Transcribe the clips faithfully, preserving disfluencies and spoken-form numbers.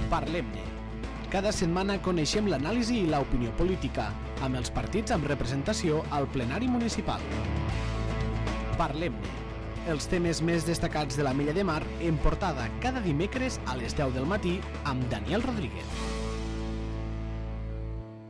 Parlem-ne. Cada setmana coneixem l'anàlisi i l'opinió política, amb els partits amb representació al plenari municipal. Parlem-ne. Els temes més destacats de l'Ametlla de Mar en portada cada dimecres a les deu del matí amb Daniel Rodríguez.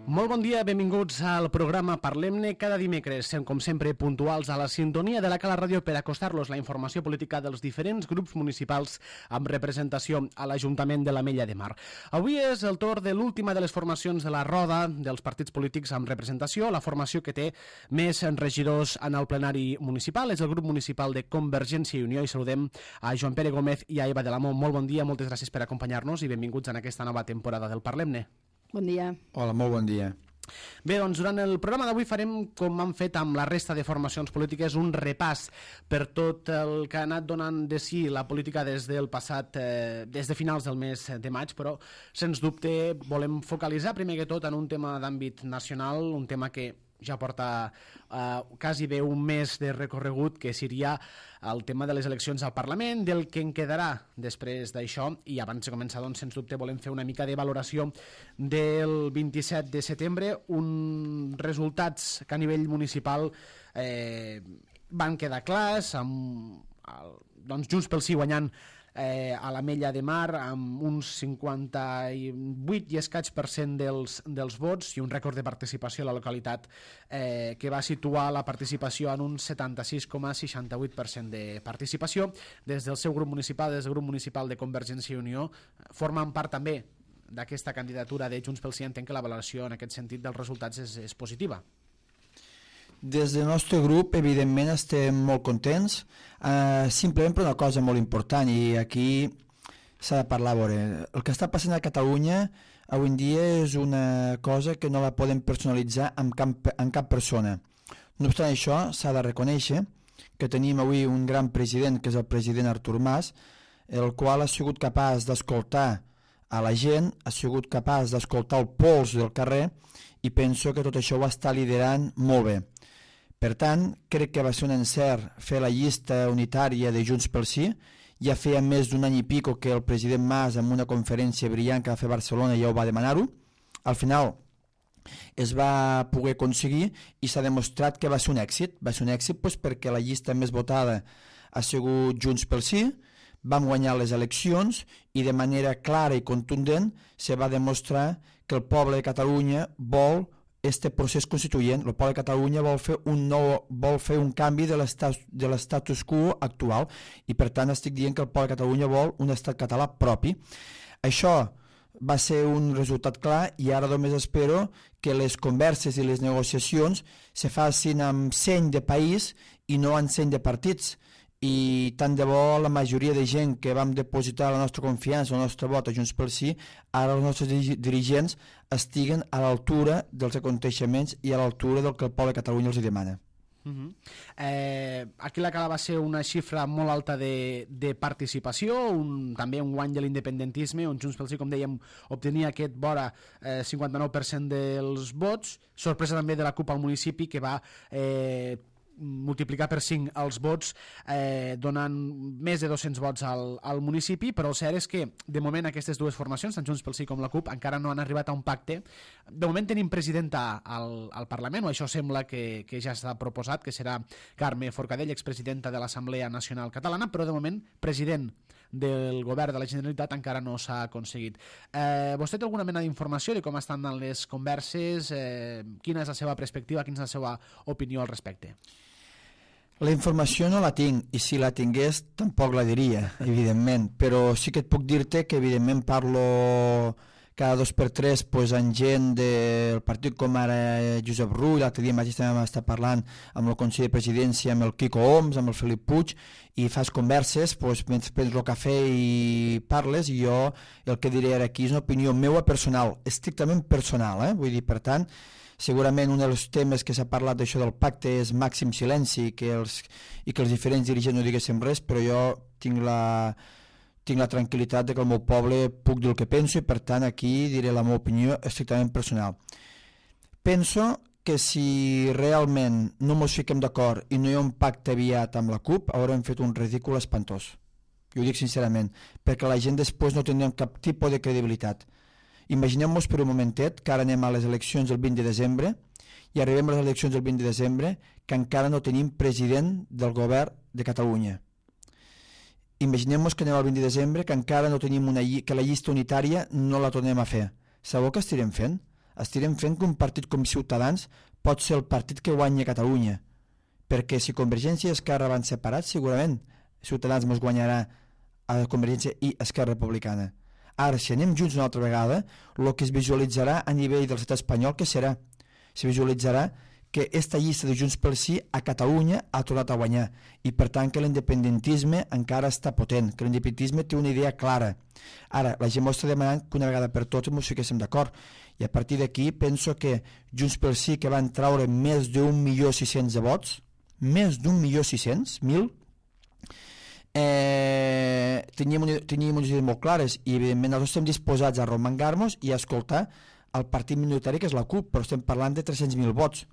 Molt bon dia, benvinguts al programa Parlem-ne cada dimecres, com sempre puntuals a la sintonia de la Cala Ràdio per acostar-los la informació política dels diferents grups municipals amb representació a l'Ajuntament de l'Ametlla de Mar. Avui és el torn de l'última de les formacions de la roda dels partits polítics amb representació, la formació que té més regidors en el plenari municipal, és el grup municipal de Convergència i Unió, i saludem a Joan Pere Gómez i a Eva de l'Amo. Molt bon dia, moltes gràcies per acompanyar-nos i benvinguts en aquesta nova temporada del Parlem-ne. Bon dia. Hola, molt bon dia. Bé, doncs durant el programa d'avui farem, com hem fet amb la resta de formacions polítiques, un repàs per tot el que ha anat donant de si la política des del passat, eh, des de finals del mes de maig, però sens dubte volem focalitzar primer que tot en un tema d'àmbit nacional, un tema que ja porta eh, quasi bé un mes de recorregut, que seria el tema de les eleccions al Parlament, del que en quedarà després d'això, i abans de començar, doncs, sens dubte, volem fer una mica de valoració del vint-i-set de setembre, uns resultats que a nivell municipal eh, van quedar clars, amb el, doncs, Junts pel Sí guanyant Eh, a l'Ametlla de Mar amb uns cinquanta-vuit i escaig per cent dels, dels vots i un rècord de participació a la localitat eh, que va situar la participació en un setanta-sis coma seixanta-vuit per cent de participació. Des del seu grup municipal, des del grup municipal de Convergència i Unió, formen part també d'aquesta candidatura de Junts pel Sí. Entenc que la valoració en aquest sentit dels resultats és, és positiva. Des del nostre grup, evidentment, estem molt contents, eh, simplement per una cosa molt important, i aquí s'ha de parlar. A veure, el que està passant a Catalunya avui en dia és una cosa que no la podem personalitzar amb cap, amb cap persona. No obstant això, s'ha de reconèixer que tenim avui un gran president, que és el president Artur Mas, el qual ha sigut capaç d'escoltar a la gent, ha sigut capaç d'escoltar el pols del carrer, i penso que tot això ho està liderant molt bé. Per tant, crec que va ser un encert fer la llista unitària de Junts pel Sí. Ja feia més d'un any i pico que el president Mas, en una conferència brillant que va fer a Barcelona, ja ho va demanar-ho. Al final es va poder aconseguir i s'ha demostrat que va ser un èxit. Va ser un èxit doncs, perquè la llista més votada ha sigut Junts pel Sí, vam guanyar les eleccions i de manera clara i contundent se va demostrar que el poble de Catalunya vol este procés constituent. El poble de Catalunya vol fer un nou, vol fer un canvi de l'estatus quo actual, i per tant estic dient que el poble de Catalunya vol un estat català propi. Això va ser un resultat clar, i ara només espero que les converses i les negociacions se facin amb seny de país i no amb seny de partits. I tant de bo la majoria de gent que vam depositar la nostra confiança, el nostre vot a Junts pel Sí, ara els nostres dirigents estiguen a l'altura dels aconteixements i a l'altura del que el poble de Catalunya els demana. Uh -huh. eh, aquí la Cala va ser una xifra molt alta de, de participació, un, també un guany de l'independentisme, on Junts pel Sí, com dèiem, obtenia aquest vora eh, cinquanta-nou per cent dels vots. Sorpresa també de la CUP al municipi, que va eh, multiplicar per cinc els vots, eh, donant més de dos-cents vots al, al municipi, però el cert és que de moment aquestes dues formacions, tant Junts pel Sí com la CUP, encara no han arribat a un pacte. De moment tenim presidenta al, al Parlament, o això sembla que, que ja s'ha proposat, que serà Carme Forcadell, expresidenta de l'Assemblea Nacional Catalana, però de moment president del govern de la Generalitat encara no s'ha aconseguit. Eh, vostè té alguna mena d'informació de com estan les converses? Eh, quina és la seva perspectiva, quina és la seva opinió al respecte? La informació no la tinc, i si la tingués tampoc la diria, evidentment, però sí que et puc dir-te que evidentment parlo cada dos per tres pues, amb gent del partit com ara Josep Rull. L'altre dia mateix també estar parlant amb el Consell de Presidència, amb el Quico Homs, amb el Felip Puig, i fas converses pues, mentre prens el cafè i parles, i jo el que diré ara aquí és una opinió meva personal, estrictament personal, eh? Vull dir, per tant, segurament un dels temes que s'ha parlat d'això del pacte és màxim silenci, que els, i que els diferents dirigents no diguéssim res, però jo tinc la, tinc la tranquil·litat de que el meu poble puc dir el que penso, i per tant aquí diré la meva opinió estrictament personal. Penso que si realment no ens fiquem d'acord i no hi ha un pacte aviat amb la CUP, haurem fet un ridícul espantós. i ho dic sincerament, perquè la gent després no tindrà cap tipus de credibilitat. Imaginem-nos per un momentet que ara anem a les eleccions el vint de desembre i arribem a les eleccions el vint de desembre que encara no tenim president del govern de Catalunya. Imaginem-nos que anem al vint de desembre que encara no tenim una lli- que la llista unitària no la tornem a fer. Sabeu què estirem fent? Estirem fent que un partit com Ciutadans pot ser el partit que guanya Catalunya, perquè si Convergència i Esquerra van separats, segurament Ciutadans ens guanyarà a Convergència i Esquerra Republicana. Ara, si anem junts una altra vegada, el que es visualitzarà a nivell del estat espanyol, què serà? Se visualitzarà que aquesta llista de Junts pel Sí a Catalunya ha tornat a guanyar i per tant que l'independentisme encara està potent, que l'independentisme té una idea clara. Ara, la gent m'ho està demanant que una vegada per totes ens fiquéssim d'acord i a partir d'aquí penso que Junts pel Sí, que van traure més d'un milió sis-cents de vots, més d'un milió sis-cents mil, eh, teníem, un, teníem unes idees molt clares i evidentment nosaltres estem disposats a romangar-nos i a escoltar el partit minoritari que és la CUP, però estem parlant de tres-cents mil vots.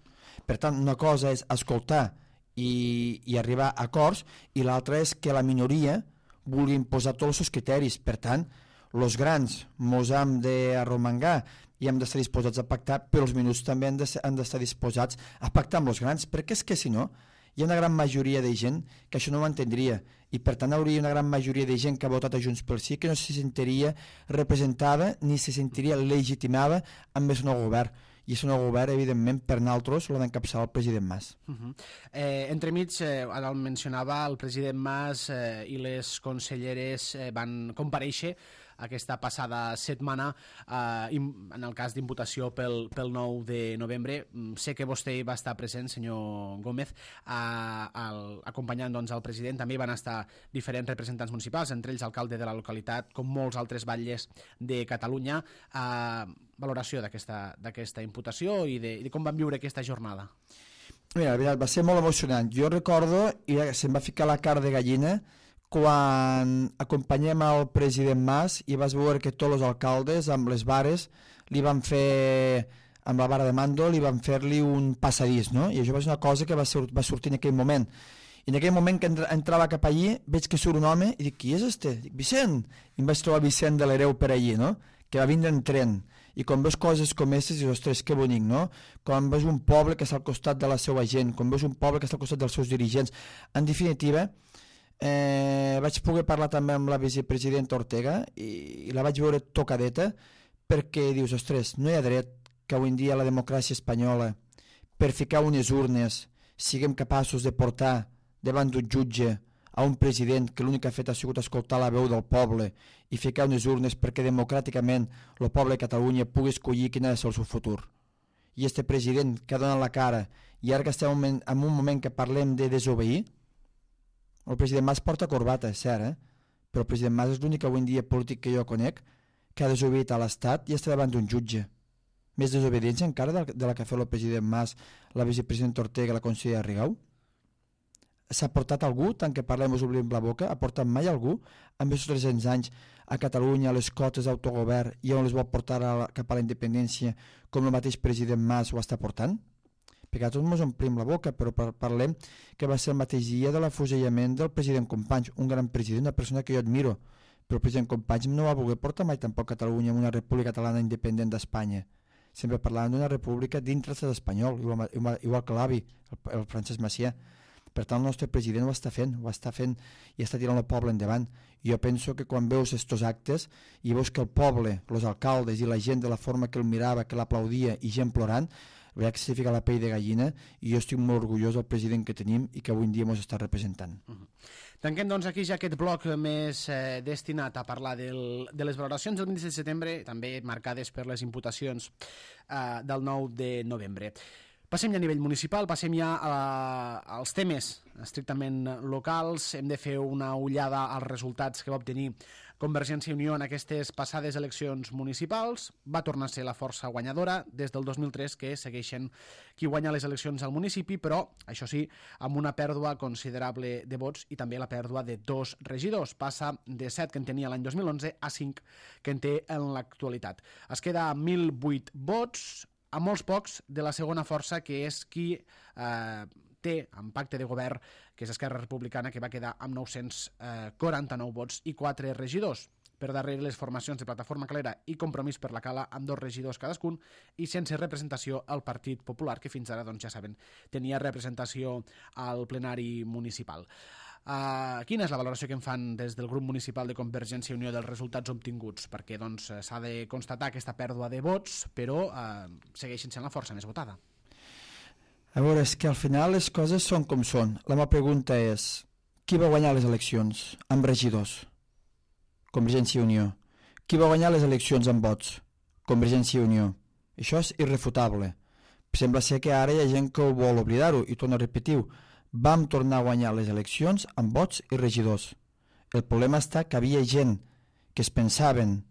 Per tant, una cosa és escoltar i, i arribar a acords i l'altra és que la minoria vulgui imposar tots els seus criteris. Per tant, els grans mos hem d'arromangar i hem d'estar disposats a pactar, però els minuts també han d'estar disposats a pactar amb els grans, perquè és que si no hi ha una gran majoria de gent que això no ho entendria i per tant hauria una gran majoria de gent que ha votat a Junts pel Sí que no se sentiria representada ni se sentiria legitimada amb el nou govern. I el nou govern, evidentment, per nosaltres l'ha d'encapçalar el president Mas. Uh -huh. eh, entremig, eh, ara el mencionava, el president Mas eh, i les conselleres eh, van comparèixer aquesta passada setmana eh, en el cas d'imputació pel, pel nou de novembre. Sé que vostè va estar present, senyor Gómez, eh, el, acompanyant doncs, el president. També van estar diferents representants municipals, entre ells alcalde de la localitat, com molts altres batlles de Catalunya. Eh, valoració d'aquesta imputació i de, de com van viure aquesta jornada. Mira, la veritat, va ser molt emocionant. Jo recordo, i se'm va ficar la cara de gallina, quan acompanyem el president Mas i vas veure que tots els alcaldes amb les vares li van fer, amb la vara de mando, li van fer-li un passadís, no? I això va ser una cosa que va, sur va sortir en aquell moment. I en aquell moment que entra entrava cap allí, veig que surt un home i dic, qui és este? Dic, Vicent! I em vaig trobar Vicent de l'Hereu per allí, no? Que va vindre en tren. I quan veus coses com aquestes, dius, ostres, que bonic, no? Quan veus un poble que està al costat de la seva gent, quan veus un poble que està al costat dels seus dirigents. En definitiva, eh, vaig poder parlar també amb la vicepresidenta Ortega i, i la vaig veure tocadeta perquè dius, ostres, no hi ha dret que avui en dia la democràcia espanyola, per ficar unes urnes, siguem capaços de portar davant d'un jutge a un president que l'únic que ha fet ha sigut escoltar la veu del poble i ficar unes urnes perquè democràticament el poble de Catalunya pugui escollir quin ha de ser el seu futur. I este president que ha donat la cara i ara que estem en un moment que parlem de desobeir, el president Mas porta corbata, és cert, eh? Però el president Mas és l'únic avui en dia polític que jo conec que ha desobeït a l'Estat i està davant d'un jutge. Més desobediència encara de la que ha fet el president Mas, la vicepresidenta Ortega i la consellera Rigau? S'ha portat algú, tant que parlem us obrim la boca, ha portat mai algú en aquests tres-cents anys a Catalunya a les cotes d'autogovern i on les vol portar a la, cap a la independència com el mateix president Mas ho està portant? Perquè a tots ens omplim la boca, però parlem que va ser el mateix dia de l'afusellament del president Companys, un gran president, una persona que jo admiro, però el president Companys no va voler portar mai tampoc Catalunya en una república catalana independent d'Espanya. Sempre parlàvem d'una república dintre l'estat espanyol, igual, igual, igual que l'avi, el, el Francesc Macià. Per tant, el nostre president ho està fent, ho està fent i està tirant el poble endavant. I jo penso que quan veus aquests actes i veus que el poble, els alcaldes i la gent de la forma que el mirava, que l'aplaudia i gent plorant, veia que se fica la pell de gallina i jo estic molt orgullós del president que tenim i que avui en dia ens està representant. Uh -huh. Tanquem doncs aquí ja aquest bloc més eh, destinat a parlar del, de les valoracions del vint set de setembre, també marcades per les imputacions eh, del nou de novembre. Passem ja a nivell municipal, passem ja a, als temes estrictament locals. Hem de fer una ullada als resultats que va obtenir Convergència i Unió en aquestes passades eleccions municipals. Va tornar a ser la força guanyadora des del dos mil tres, que segueixen qui guanya les eleccions al municipi, però, això sí, amb una pèrdua considerable de vots i també la pèrdua de dos regidors. Passa de set que en tenia l'any dos mil onze a cinc que en té en l'actualitat. Es queda a mil vuit vots, a molts pocs de la segona força, que és qui eh, té en pacte de govern, que és Esquerra Republicana, que va quedar amb nou-cents quaranta-nou vots i quatre regidors. Per darrere les formacions de Plataforma Calera i Compromís per la Cala, amb dos regidors cadascun, i sense representació al Partit Popular, que fins ara, doncs, ja saben, tenia representació al plenari municipal. Uh, quina és la valoració que en fan des del grup municipal de Convergència i Unió dels resultats obtinguts? Perquè doncs, s'ha de constatar aquesta pèrdua de vots, però uh, segueixen sent la força més votada. A veure, és que al final les coses són com són. La meva pregunta és, qui va guanyar les eleccions amb regidors? Convergència i Unió. Qui va guanyar les eleccions amb vots? Convergència i Unió. Això és irrefutable. Sembla ser que ara hi ha gent que ho vol oblidar-ho, i torno a repetir-ho. Vam tornar a guanyar les eleccions amb vots i regidors. El problema està que havia gent que es pensaven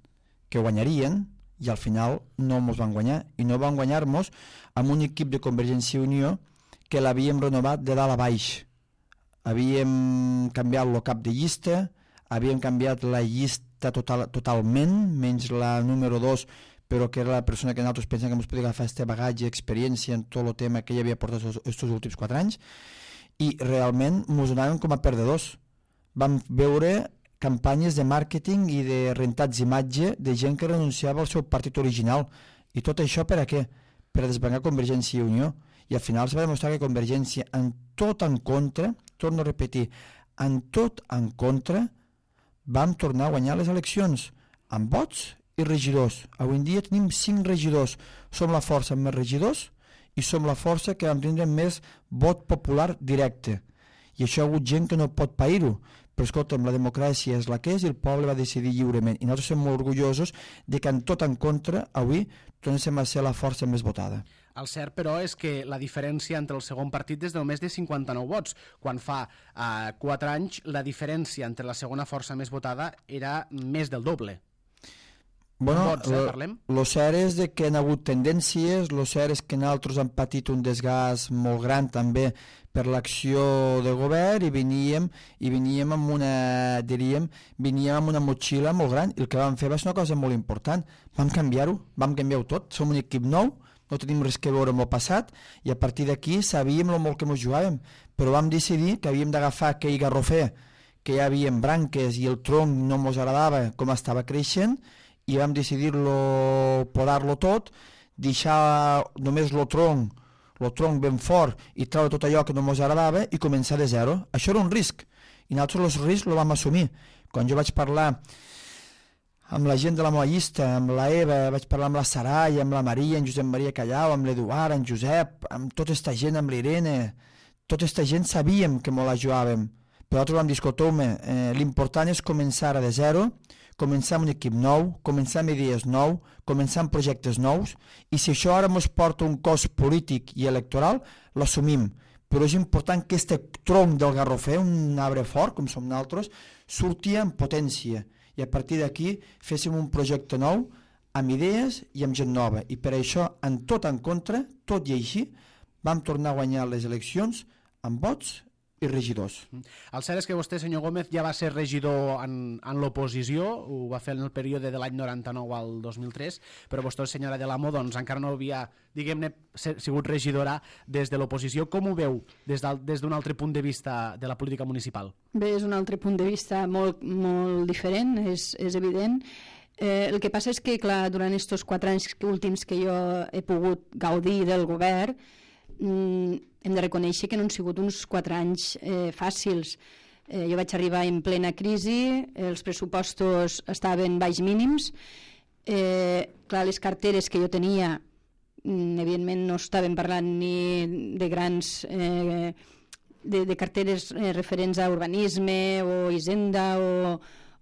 que guanyarien i al final no ens van guanyar, i no van guanyar-nos amb un equip de Convergència i Unió que l'havíem renovat de dalt a baix. Havíem canviat el cap de llista, havíem canviat la llista total, totalment, menys la número dos, però que era la persona que nosaltres pensem que ens podia agafar aquest bagatge, experiència en tot el tema que ella havia portat aquests últims quatre anys, i realment ens donaven com a perdedors. Vam veure campanyes de màrqueting i de rentats d'imatge de gent que renunciava al seu partit original. I tot això per a què? Per a desbancar Convergència i Unió. I al final es va demostrar que Convergència, en tot en contra, torno a repetir, en tot en contra, vam tornar a guanyar les eleccions amb vots i regidors. Avui en dia tenim cinc regidors. Som la força amb més regidors i som la força que vam tindre més vot popular directe. I això ha hagut gent que no pot pair-ho. Però escolta'm, la democràcia és la que és i el poble va decidir lliurement. I nosaltres som molt orgullosos de que en tot en contra avui tornéssim a ser la força més votada. El cert, però, és que la diferència entre el segon partit és de només de cinquanta-nou vots, quan fa eh, quatre anys la diferència entre la segona força més votada era més del doble. Bueno, vots, eh, parlem? Lo cert és de que han hagut tendències, lo cert és que nosaltres hem patit un desgast molt gran també per l'acció de govern i veníem, i veníem amb una, diríem, veníem amb una motxilla molt gran, i el que vam fer va ser una cosa molt important. Vam canviar-ho, vam canviar-ho tot, som un equip nou, no tenim res que veure amb el passat, i a partir d'aquí sabíem el molt que ens jugàvem, però vam decidir que havíem d'agafar aquell garrofer, que hi havia branques i el tronc no ens agradava com estava creixent, i vam decidir-lo, podar-lo tot, deixar només el tronc, el tronc ben fort i treure tot allò que no ens agradava i començar de zero. Això era un risc, i nosaltres el risc el vam assumir. Quan jo vaig parlar amb la gent de la meva llista, amb la Eva, vaig parlar amb la Sarai, amb la Maria, en Josep Maria Callau, amb l'Eduard, en Josep, amb tota aquesta gent, amb l'Irene, tota aquesta gent sabíem que ens la jugàvem, però nosaltres vam dir, escolteu-me, eh, l'important és començar de zero, començar amb un equip nou, començar amb idees nou, començar amb projectes nous, i si això ara ens porta un cost polític i electoral, l'assumim. Però és important que aquest tronc del garrofer, un arbre fort, com som nosaltres, surti en potència, i a partir d'aquí féssim un projecte nou, amb idees i amb gent nova. I per això, en tot en contra, tot i així, vam tornar a guanyar les eleccions amb vots i regidors. El cert és que vostè, senyor Gómez, ja va ser regidor en, en l'oposició, ho va fer en el període de l'any noranta-nou al dos mil tres, però vostè, senyora de l'Amo, doncs encara no havia, diguem-ne, sigut regidora des de l'oposició. Com ho veu des d'un des altre punt de vista de la política municipal? Bé, és un altre punt de vista molt, molt diferent, és, és evident. Eh, el que passa és que, clar, durant aquests quatre anys últims que jo he pogut gaudir del govern, mm, hem de reconèixer que no han sigut uns quatre anys eh, fàcils. Eh, jo vaig arribar en plena crisi, els pressupostos estaven baix mínims, eh, clar, les carteres que jo tenia, mm, evidentment no estàvem parlant ni de grans... Eh, de, de carteres eh, referents a urbanisme o hisenda o,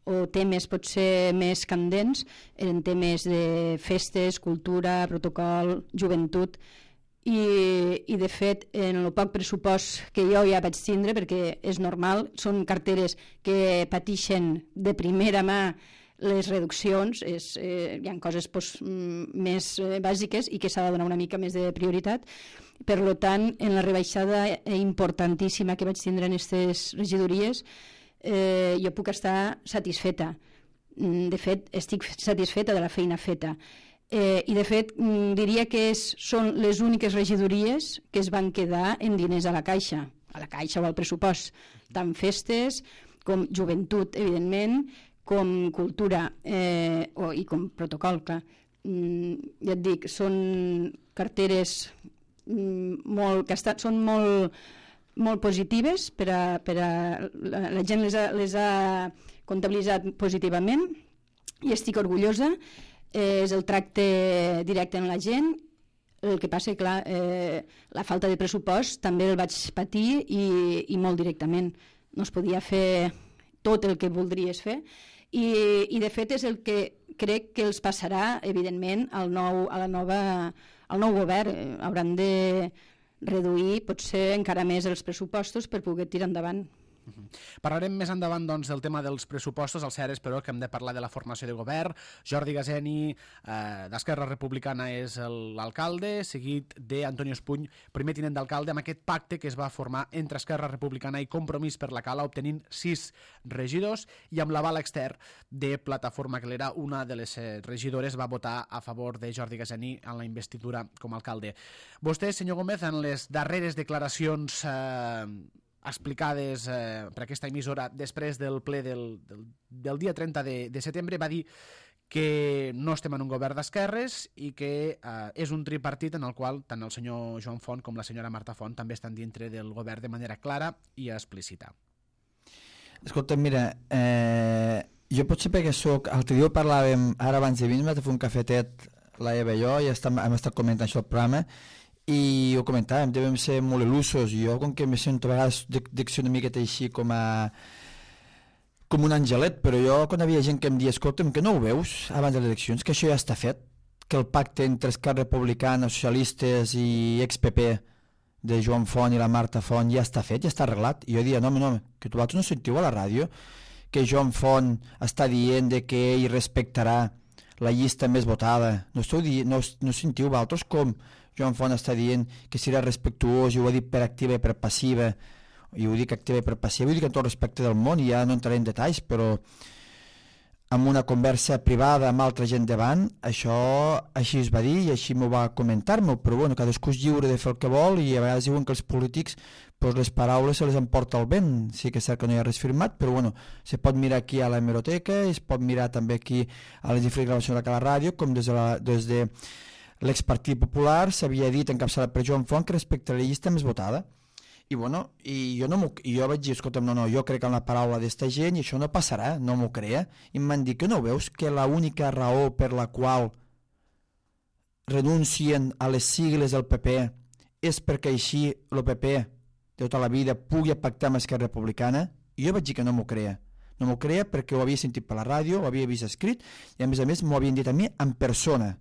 o temes potser més candents, eren temes de festes, cultura, protocol, joventut, i, i de fet en el poc pressupost que jo ja vaig tindre, perquè és normal, són carteres que pateixen de primera mà les reduccions, és, eh, hi ha coses pues, més eh, bàsiques i que s'ha de donar una mica més de prioritat. Per tant, en la rebaixada importantíssima que vaig tindre en aquestes regidories, eh, jo puc estar satisfeta. De fet, estic satisfeta de la feina feta. Eh, I de fet diria que és, són les úniques regidories que es van quedar en diners a la Caixa, a la Caixa o al pressupost, tant festes com joventut, evidentment, com cultura eh, o, i com protocol, clar. Mm, ja et dic, són carteres mm, molt, que estat, són molt, molt positives per a, per a la, la gent les ha, les ha comptabilitzat positivament i estic orgullosa. Eh, és el tracte directe amb la gent. El que passa, clar, eh, la falta de pressupost també el vaig patir i, i molt directament. No es podia fer tot el que voldries fer i, i de fet és el que crec que els passarà, evidentment, al nou, a la nova, al nou govern. Eh, hauran de reduir, potser encara més, els pressupostos per poder tirar endavant. Uh-huh. Parlarem més endavant doncs, del tema dels pressupostos. El cert és, però, que hem de parlar de la formació de govern. Jordi Gaseni, eh, d'Esquerra Republicana, és l'alcalde, seguit d'Antonio Espuny, primer tinent d'alcalde, amb aquest pacte que es va formar entre Esquerra Republicana i Compromís per la Cala, obtenint sis regidors, i amb l'aval extern de Plataforma Calera, una de les regidores va votar a favor de Jordi Gaseni en la investidura com a alcalde. Vostè, senyor Gómez, en les darreres declaracions eh, explicades eh, per aquesta emissora després del ple del, del, del dia trenta de, de setembre, va dir que no estem en un govern d'esquerres i que eh, és un tripartit en el qual tant el senyor Joan Font com la senyora Marta Font també estan dintre del govern de manera clara i explícita. Escolta, mira, eh, jo potser perquè soc... L'altre dia parlàvem, ara abans de vindre, de fer un cafetet, la Eva i jo, i estem, hem estat comentant això al programa, i ho comentàvem, devem ser molt il·lusos. Jo, com que me sento a vegades dic una miqueta així com a com un angelet, però jo quan havia gent que em dia, escolta'm, que no ho veus abans de les eleccions, que això ja està fet, que el pacte entre Esquerra Republicana, socialistes i ex-P P de Joan Font i la Marta Font ja està fet, ja està arreglat. I jo dia, no, no, que tu vosaltres no sentiu a la ràdio que Joan Font està dient de que ell respectarà la llista més votada. No, esteu dient, no, no sentiu vosaltres com Joan Font està dient que serà respectuós, i ho ha dit per activa i per passiva, i ho dic activa i per passiva, ho dic en tot respecte del món, i ja no entraré en detalls, però amb una conversa privada amb altra gent davant, això així es va dir i així m'ho va comentar-me, però bueno, cadascú és lliure de fer el que vol, i a vegades diuen que els polítics pues, les paraules se les emporta el vent. Sí que és cert que no hi ha res firmat, però bueno, se pot mirar aquí a la hemeroteca, es pot mirar també aquí a les diferents gravacions de la ràdio, com des de, la, des de l'ex-Partit Popular s'havia dit encapçalat per Joan Font que respecte a la llista més votada. I bueno, i jo, no i jo vaig dir, escolta'm, no, no, jo crec en la paraula d'esta gent i això no passarà, no m'ho crea. I em van dir que no veus que l'única raó per la qual renuncien a les sigles del P P és perquè així el P P de tota la vida pugui pactar amb Esquerra Republicana? I jo vaig dir que no m'ho crea. No m'ho crea perquè ho havia sentit per la ràdio, ho havia vist escrit i a més a més m'ho havien dit a mi en persona.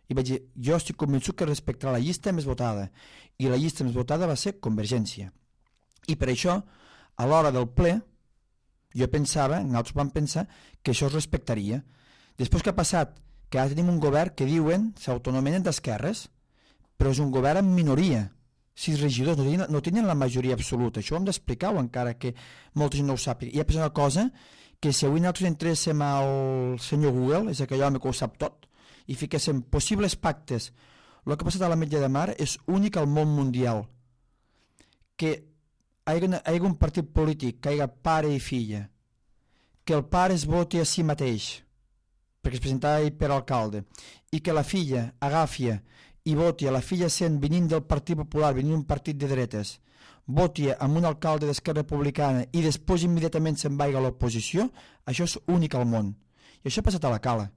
I vaig dir, jo estic convençut que respectarà la llista més votada, i la llista més votada va ser Convergència. I per això, a l'hora del ple, jo pensava, nosaltres vam pensar, que això es respectaria. Després que ha passat, que ara tenim un govern que diuen, s'autonomenen d'esquerres, però és un govern en minoria. Sis regidors, no tenen, no tenen la majoria absoluta. Això ho hem d'explicar, encara que molta gent no ho sàpiga. I ha passat una cosa, que si avui nosaltres entréssim al senyor Google, és aquell home que ho sap tot, i fiquéssim possibles pactes, el que ha passat a l'Ametlla de Mar és únic al món mundial. Que hi hagi, hi hagi un partit polític, que hi hagi pare i filla, que el pare es voti a si mateix, perquè es presentava ell per alcalde, i que la filla agafi i voti a la filla sent venint del Partit Popular, venint d'un partit de dretes, voti amb un alcalde d'Esquerra Republicana i després immediatament se'n vaiga a l'oposició, això és únic al món. I això ha passat a la Cala.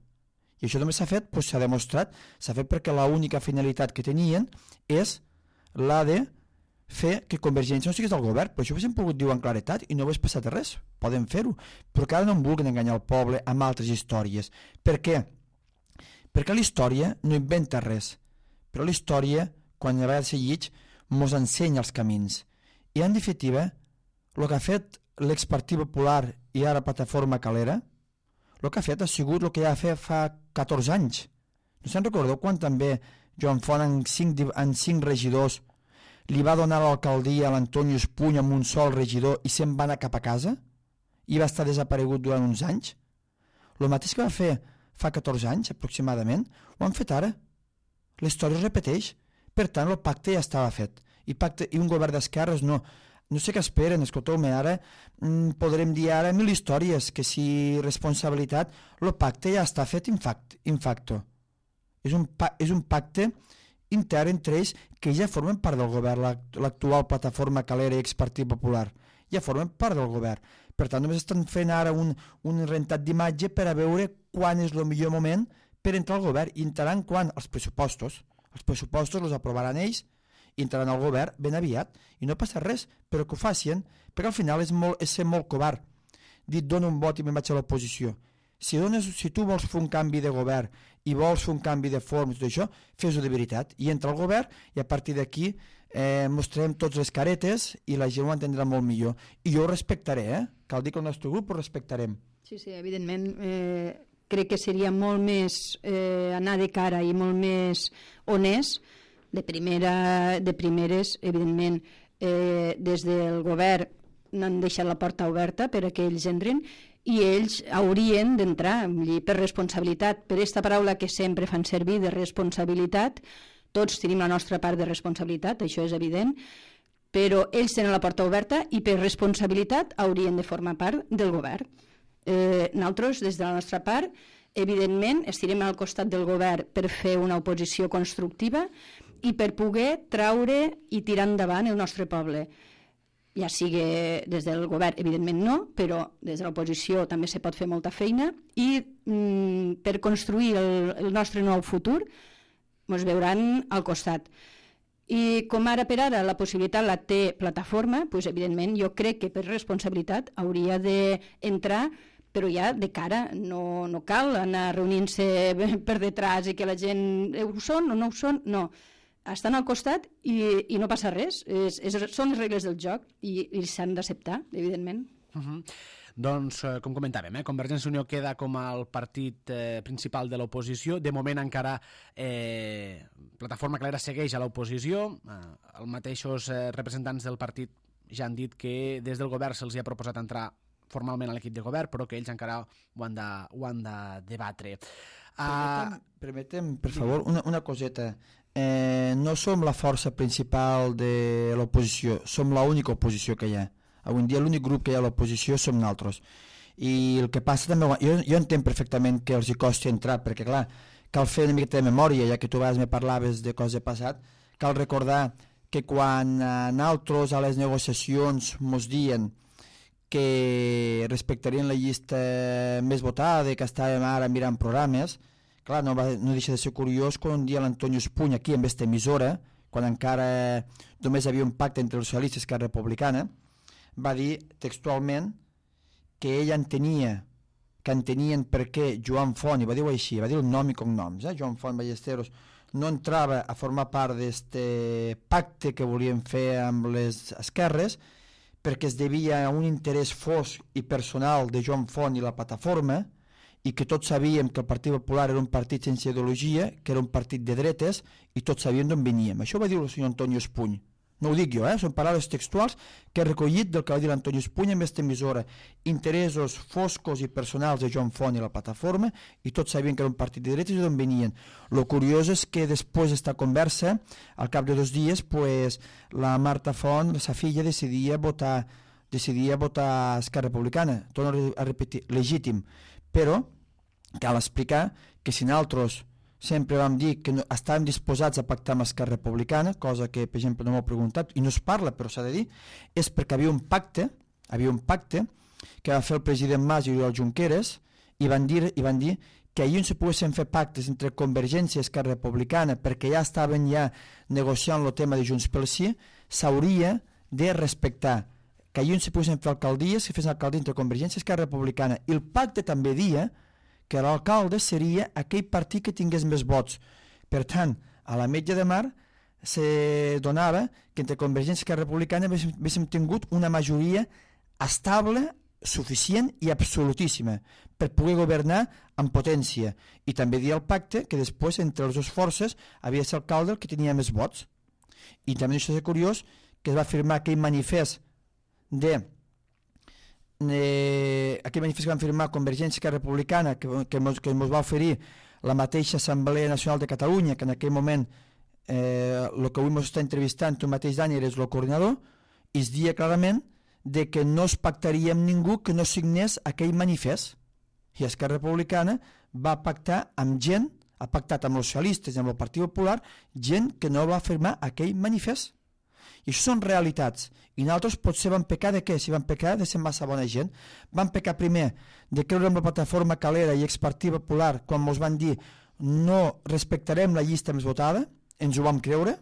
I això només s'ha fet, doncs s'ha demostrat, s'ha fet perquè l'única finalitat que tenien és la de fer que Convergència no estigués al govern, però això ho haguéssim pogut dir amb claretat i no hagués passat res, poden fer-ho, però que ara no em vulguin enganyar el poble amb altres històries. Per què? Perquè la història no inventa res, però la història, quan a vegades se llig, mos ensenya els camins. I en definitiva, el que ha fet l'ex-Partit Popular i ara Plataforma Calera, el que ha fet ha sigut el que ja ha fet fa catorze anys. No se'n recordeu quan també Joan Font en cinc, en cinc regidors li va donar l'alcaldia a l'Antonio Espuny amb un sol regidor i se'n va anar cap a casa? I va estar desaparegut durant uns anys? El mateix que va fer fa catorze anys aproximadament, ho han fet ara. La història es repeteix. Per tant, el pacte ja estava fet. I, pacte, i un govern d'esquerres no. No sé què esperen, escolteu-me, ara mm, podrem dir ara mil històries, que si responsabilitat, el pacte ja està fet in, fact, in facto. És un, és un pacte intern entre ells que ja formen part del govern, l'actual plataforma Calera i Expartit Popular. Ja formen part del govern. Per tant, només estan fent ara un, un rentat d'imatge per a veure quan és el millor moment per entrar al govern. I entraran quan? Els pressupostos. Els pressupostos els aprovaran ells i entraran al govern ben aviat i no passa res, però que ho facin, perquè al final és, molt, és ser molt covard. Dit, dono un vot i me'n vaig a l'oposició. Si, dones, si tu vols fer un canvi de govern i vols fer un canvi de forma i tot això, fes-ho de veritat. I entra al govern i a partir d'aquí eh, mostrem tots les caretes i la gent ho entendrà molt millor. I jo ho respectaré, eh? Cal dir que el nostre grup ho respectarem. Sí, sí, evidentment. Eh, crec que seria molt més eh, anar de cara i molt més honest. De, primera, de primeres, evidentment, eh, des del govern n'han deixat la porta oberta per a que ells entrin i ells haurien d'entrar per responsabilitat, per aquesta paraula que sempre fan servir de responsabilitat. Tots tenim la nostra part de responsabilitat, això és evident, però ells tenen la porta oberta i per responsabilitat haurien de formar part del govern. Eh, nosaltres, des de la nostra part, evidentment, estirem al costat del govern per fer una oposició constructiva i per poder traure i tirar endavant el nostre poble. Ja sigui des del govern, evidentment no, però des de l'oposició també se pot fer molta feina i mm, per construir el, el nostre nou futur ens veuran al costat. I com ara per ara la possibilitat la té plataforma, doncs evidentment jo crec que per responsabilitat hauria d'entrar, però ja de cara, no, no cal anar reunint-se per detrás i que la gent ho són o no ho són, no. Estan al costat i, i no passa res. És, és, són les regles del joc i, i s'han d'acceptar, evidentment. Uh -huh. Doncs, eh, com comentàvem, eh, Convergència i Unió queda com el partit eh, principal de l'oposició. De moment encara eh, Plataforma Calera segueix a l'oposició. Eh, els mateixos eh, representants del partit ja han dit que des del govern se'ls ha proposat entrar formalment a l'equip de govern, però que ells encara ho han de, ho han de debatre. Uh... Permetem, permetem, per favor, una, una coseta. Eh, no som la força principal de l'oposició, som l'única oposició que hi ha. Avui en dia l'únic grup que hi ha a l'oposició som nosaltres. I el que passa també, jo, jo entenc perfectament que els hi costi entrar, perquè clar, cal fer una miqueta de memòria, ja que tu a vegades me parlaves de coses passat, cal recordar que quan eh, nosaltres a les negociacions mos dien que respectarien la llista més votada, que estàvem ara mirant programes, clar, no, va, no deixa de ser curiós quan un dia l'Antonio Espuny, aquí en aquesta emissora, quan encara només hi havia un pacte entre els socialistes i Esquerra Republicana, va dir textualment que ell entenia, que entenien per què Joan Font, i va dir-ho així, va dir el nom i cognoms, eh? Joan Font Ballesteros, no entrava a formar part d'aquest pacte que volien fer amb les esquerres, perquè es devia a un interès fosc i personal de Joan Font i la plataforma, i que tots sabíem que el Partit Popular era un partit sense ideologia, que era un partit de dretes, i tots sabíem d'on veníem. Això va dir el senyor Antonio Espuny. No ho dic jo, eh? Són paraules textuals que he recollit del que va dir l'Antonio Espuny en aquesta emissora. Interessos foscos i personals de Joan Font i la plataforma, i tots sabien que era un partit de dretes i d'on venien. Lo curiós és que després d'esta conversa, al cap de dos dies, pues, la Marta Font, sa filla, decidia votar, decidia votar Esquerra Republicana. Torno a repetir, legítim. Però cal explicar que si nosaltres sempre vam dir que no, estàvem disposats a pactar amb Esquerra Republicana, cosa que, per exemple, no m'ho preguntat, i no es parla, però s'ha de dir, és perquè havia un pacte, havia un pacte que va fer el president Mas i Oriol Junqueras, i van dir, i van dir que allí on se poguessin fer pactes entre Convergència i Esquerra Republicana, perquè ja estaven ja negociant el tema de Junts pel Sí, s'hauria de respectar que allí on se poguessin fer alcaldies, que fessin alcaldia entre Convergència i Esquerra Republicana. I el pacte també dia que l'alcalde seria aquell partit que tingués més vots. Per tant, a la Metge de Mar se donava que entre Convergència i Esquerra Republicana haguéssim tingut una majoria estable, suficient i absolutíssima per poder governar amb potència. I també dia el pacte que després entre les dues forces havia de ser alcalde el que tenia més vots. I també això és curiós que es va firmar aquell manifest de eh, aquell manifest que van firmar Convergència i Esquerra Republicana, que, que, mos, que mos va oferir la mateixa Assemblea Nacional de Catalunya, que en aquell moment eh, el que avui ens està entrevistant tu mateix, Dani, eres el coordinador, i es dia clarament de que no es pactaria amb ningú que no signés aquell manifest. I Esquerra Republicana va pactar amb gent, ha pactat amb els socialistes i amb el Partit Popular, gent que no va firmar aquell manifest. I això són realitats. I nosaltres potser vam pecar de què? Si vam pecar de ser massa bona gent. Vam pecar primer de creure en la plataforma Calera i Expartit Popular quan ens van dir no respectarem la llista més votada, ens ho vam creure,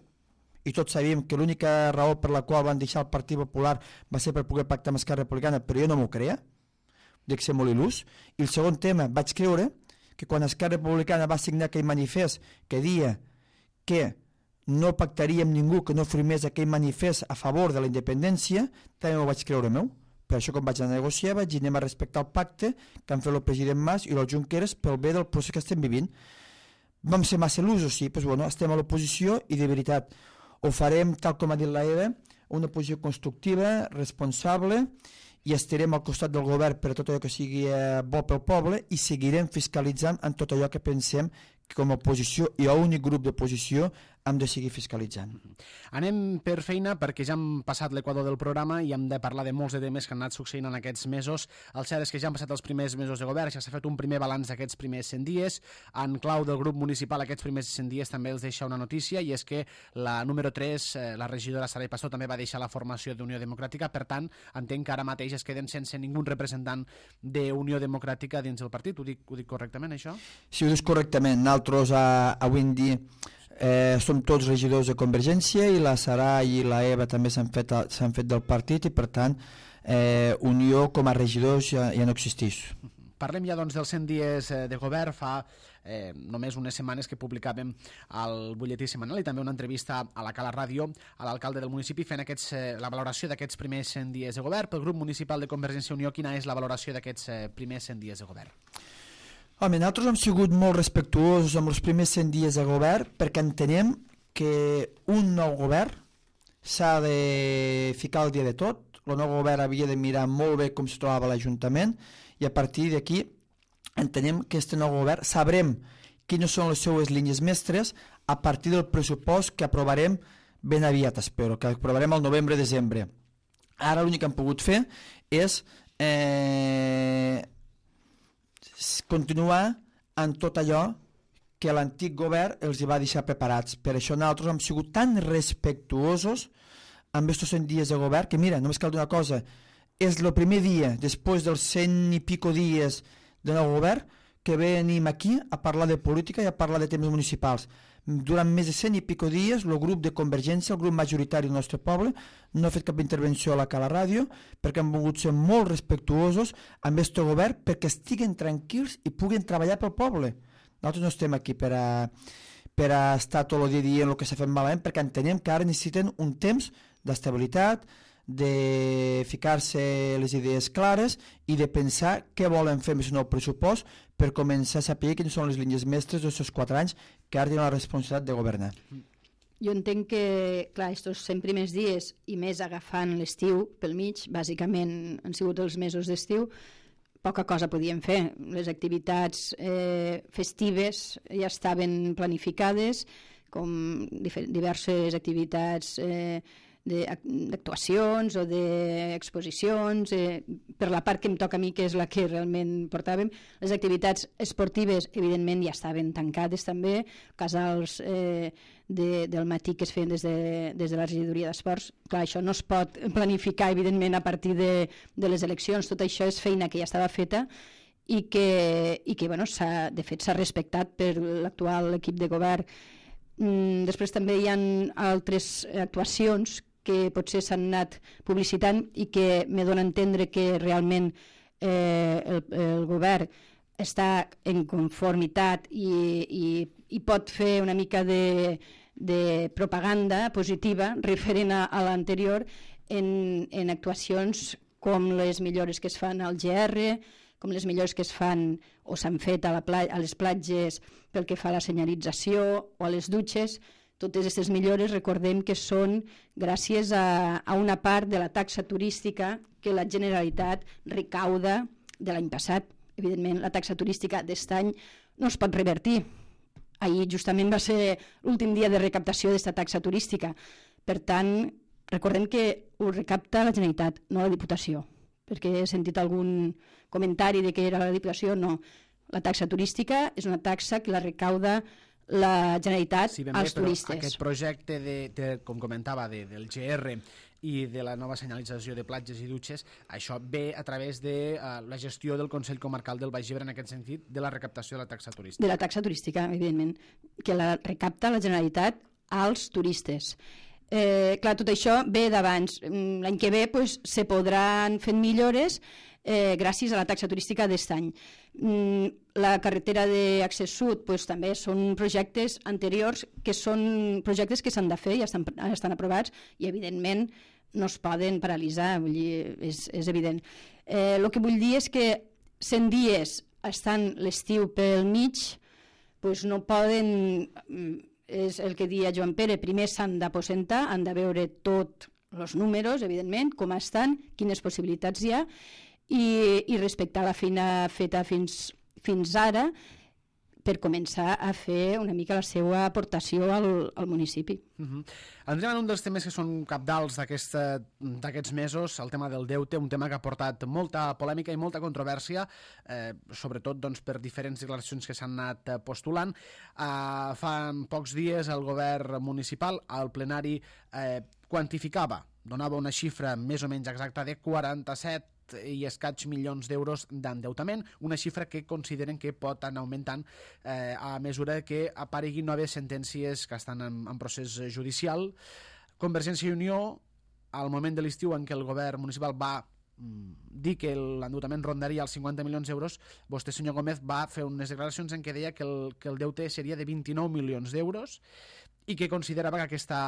i tots sabíem que l'única raó per la qual van deixar el Partit Popular va ser per poder pactar amb Esquerra Republicana, però jo no m'ho creia, dic ser molt il·lús. I el segon tema, vaig creure que quan Esquerra Republicana va signar aquell manifest que dia que no pactaria amb ningú que no firmés aquell manifest a favor de la independència, també m'ho vaig creure meu. Per això quan vaig anar a negociar vaig dir anem a respectar el pacte que han fet el president Mas i el Junqueras pel bé del procés que estem vivint. Vam ser massa il·lusos, sí, doncs bueno, estem a l'oposició i de veritat ho farem, tal com ha dit la Eva, una posició constructiva, responsable, i estarem al costat del govern per a tot allò que sigui eh, bo pel poble i seguirem fiscalitzant en tot allò que pensem que com a oposició i a únic grup d'oposició hem de seguir fiscalitzant. Anem per feina perquè ja hem passat l'equador del programa i hem de parlar de molts de temes que han anat succeint en aquests mesos. El cert és que ja han passat els primers mesos de govern, ja s'ha fet un primer balanç d'aquests primers cent dies. En clau del grup municipal aquests primers cent dies també els deixa una notícia i és que la número tres, eh, la regidora Saray Pastor, també va deixar la formació d'Unió Democràtica, per tant entenc que ara mateix es queden sense ningú representant d'Unió Democràtica dins el partit. Ho dic, ho dic correctament, això? Sí, ho dius correctament. Nosaltres a, avui en dia Eh, som tots regidors de Convergència i la Sara i la Eva també s'han fet, s'han fet del partit i per tant eh, Unió com a regidors ja, ja no existeix. Parlem ja doncs dels cent dies de govern. Fa eh, només unes setmanes que publicàvem al butlletí setmanal i també una entrevista a la Cala Ràdio a l'alcalde del municipi fent aquests, eh, la valoració d'aquests primers cent dies de govern. Pel grup municipal de Convergència i Unió, quina és la valoració d'aquests eh, primers cent dies de govern? Home, nosaltres hem sigut molt respectuosos amb els primers cent dies de govern perquè entenem que un nou govern s'ha de ficar al dia de tot. El nou govern havia de mirar molt bé com es trobava l'Ajuntament i a partir d'aquí entenem que aquest nou govern sabrem quines són les seues línies mestres a partir del pressupost que aprovarem ben aviat, espero, que aprovarem al novembre-desembre. Ara l'únic que hem pogut fer és eh, continuar en tot allò que l'antic govern els hi va deixar preparats. Per això nosaltres hem sigut tan respectuosos amb aquests cent dies de govern que, mira, només cal dir una cosa, és el primer dia, després dels cent i pico dies de nou govern, que venim aquí a parlar de política i a parlar de temes municipals. Durant més de cent i pico dies, el grup de Convergència, el grup majoritari del nostre poble, no ha fet cap intervenció a la Cala Ràdio perquè han volgut ser molt respectuosos amb aquest govern perquè estiguen tranquils i puguin treballar pel poble. Nosaltres no estem aquí per a, per a estar tot el dia dient el que s'ha fet malament perquè entenem que ara necessiten un temps d'estabilitat, de ficar-se les idees clares i de pensar què volen fer amb aquest nou pressupost per començar a saber quines són les línies mestres d'aquests quatre anys que ara tenen la responsabilitat de governar. Jo entenc que, clar, aquests cent primers dies i més agafant l'estiu pel mig, bàsicament han sigut els mesos d'estiu, poca cosa podíem fer. Les activitats eh, festives ja estaven planificades, com diverses activitats eh, d'actuacions o d'exposicions, eh, per la part que em toca a mi, que és la que realment portàvem. Les activitats esportives, evidentment, ja estaven tancades també, casals eh, de, del matí que es feien des de, des de la regidoria d'esports. Clar, això no es pot planificar, evidentment, a partir de, de les eleccions. Tot això és feina que ja estava feta i que, i que bueno, de fet, s'ha respectat per l'actual equip de govern. Mm, després també hi ha altres actuacions que potser s'han anat publicitant i que me dona a entendre que realment eh, el, el govern està en conformitat i, i, i pot fer una mica de, de propaganda positiva referent a, a l'anterior en, en actuacions com les millores que es fan al G R, com les millores que es fan o s'han fet a, la pla a les platges pel que fa a la senyalització o a les dutxes. totes aquestes millores, recordem que són gràcies a, a una part de la taxa turística que la Generalitat recauda de l'any passat. Evidentment, la taxa turística d'aquest any no es pot revertir. Ahir justament va ser l'últim dia de recaptació d'aquesta taxa turística. Per tant, recordem que ho recapta la Generalitat, no la Diputació, perquè he sentit algun comentari de que era la Diputació. No, la taxa turística és una taxa que la recauda la Generalitat sí, als bé, turistes. Aquest projecte, de, de, com comentava, de, del G R i de la nova senyalització de platges i dutxes, això ve a través de uh, la gestió del Consell Comarcal del Baix Ebre, en aquest sentit, de la recaptació de la taxa turística. De la taxa turística, evidentment, que la recapta la Generalitat als turistes. Eh, clar, tot això ve d'abans. L'any que ve pues, se podran fer millores eh, gràcies a la taxa turística d'aquest any. Mm, la carretera d'Accés Sud pues, també són projectes anteriors que són projectes que s'han de fer i estan, estan aprovats i evidentment no es poden paralitzar, vull dir, és, és evident. Eh, el que vull dir és que cent dies estan l'estiu pel mig, pues no poden, és el que deia Joan Pere, primer s'han d'aposentar, han de veure tots els números, evidentment, com estan, quines possibilitats hi ha, i, i respectar la feina feta fins, fins ara per començar a fer una mica la seva aportació al, al municipi. Uh-huh. Entrem en un dels temes que són cabdals d'aquests mesos, el tema del deute, un tema que ha portat molta polèmica i molta controvèrsia, eh, sobretot doncs, per diferents declaracions que s'han anat postulant. Eh, fa pocs dies el govern municipal al plenari eh, quantificava, donava una xifra més o menys exacta de quaranta-set i escaig milions d'euros d'endeutament, una xifra que consideren que pot anar augmentant eh, a mesura que apareguin noves sentències que estan en, en procés judicial. Convergència i Unió, al moment de l'estiu en què el govern municipal va mm, dir que l'endeutament rondaria els cinquanta milions d'euros, vostè, senyor Gómez, va fer unes declaracions en què deia que el, que el deute seria de vint-i-nou milions d'euros i que considerava que aquesta,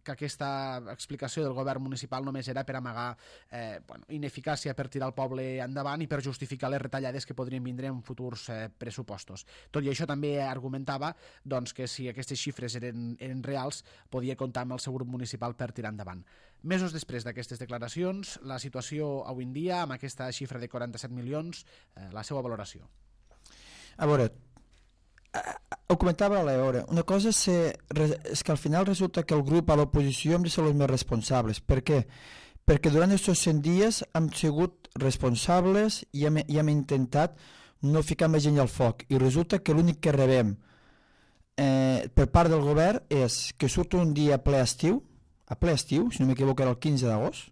que aquesta explicació del govern municipal només era per amagar eh, bueno, ineficàcia, per tirar el poble endavant i per justificar les retallades que podrien vindre en futurs eh, pressupostos. Tot i això també argumentava doncs, que si aquestes xifres eren, eren reals podia comptar amb el seu grup municipal per tirar endavant. Mesos després d'aquestes declaracions, la situació avui en dia, amb aquesta xifra de quaranta-set milions, eh, la seva valoració. A veure, ho comentava a l'hora, una cosa és, ser, és que al final resulta que el grup a l'oposició hem de ser els més responsables. Per què? Perquè durant aquests cent dies hem sigut responsables i hem, i hem intentat no ficar més gent al foc, i resulta que l'únic que rebem eh, per part del govern és que surt un dia a ple estiu, a ple estiu, si no m'equivoco era el quinze d'agost,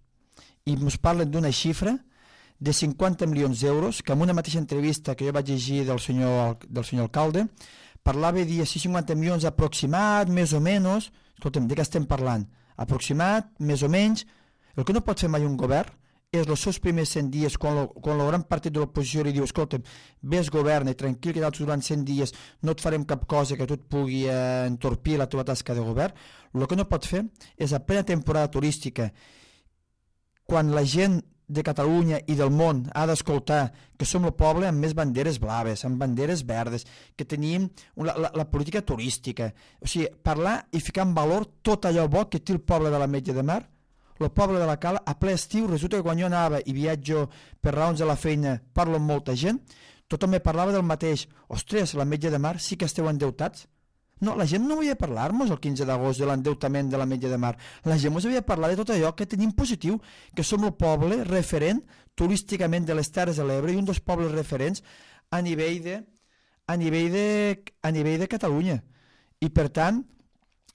i ens parlen d'una xifra de cinquanta milions d'euros, que en una mateixa entrevista que jo vaig llegir del senyor, del senyor alcalde, parlava i dia cinquanta milions aproximat, més o menys. Escolta'm, de què estem parlant? Aproximat, més o menys. El que no pot fer mai un govern és els seus primers cent dies, quan, lo, quan el gran partit de l'oposició li diu, escolta'm, vés, governa, tranquil, que durant cent dies no et farem cap cosa que tu et pugui eh, entorpir la teva tasca de govern. El que no pot fer és a plena temporada turística, quan la gent de Catalunya i del món ha d'escoltar que som el poble amb més banderes blaves, amb banderes verdes, que tenim la, la, la política turística. O sigui, parlar i ficar en valor tot allò bo que té el poble de l'Ametlla de Mar. El poble de la Cala, a ple estiu, resulta que quan jo anava i viatjo per raons de la feina, parlo amb molta gent, tothom me parlava del mateix. Ostres, l'Ametlla de Mar sí que esteu endeutats. No, la gent no volia parlar-nos el quinze d'agost de l'endeutament de l'Ametlla de Mar. La gent ens havia parlat de tot allò que tenim positiu, que som el poble referent turísticament de les Terres de l'Ebre i un dels pobles referents a nivell de, a nivell de, a nivell de Catalunya. I per tant,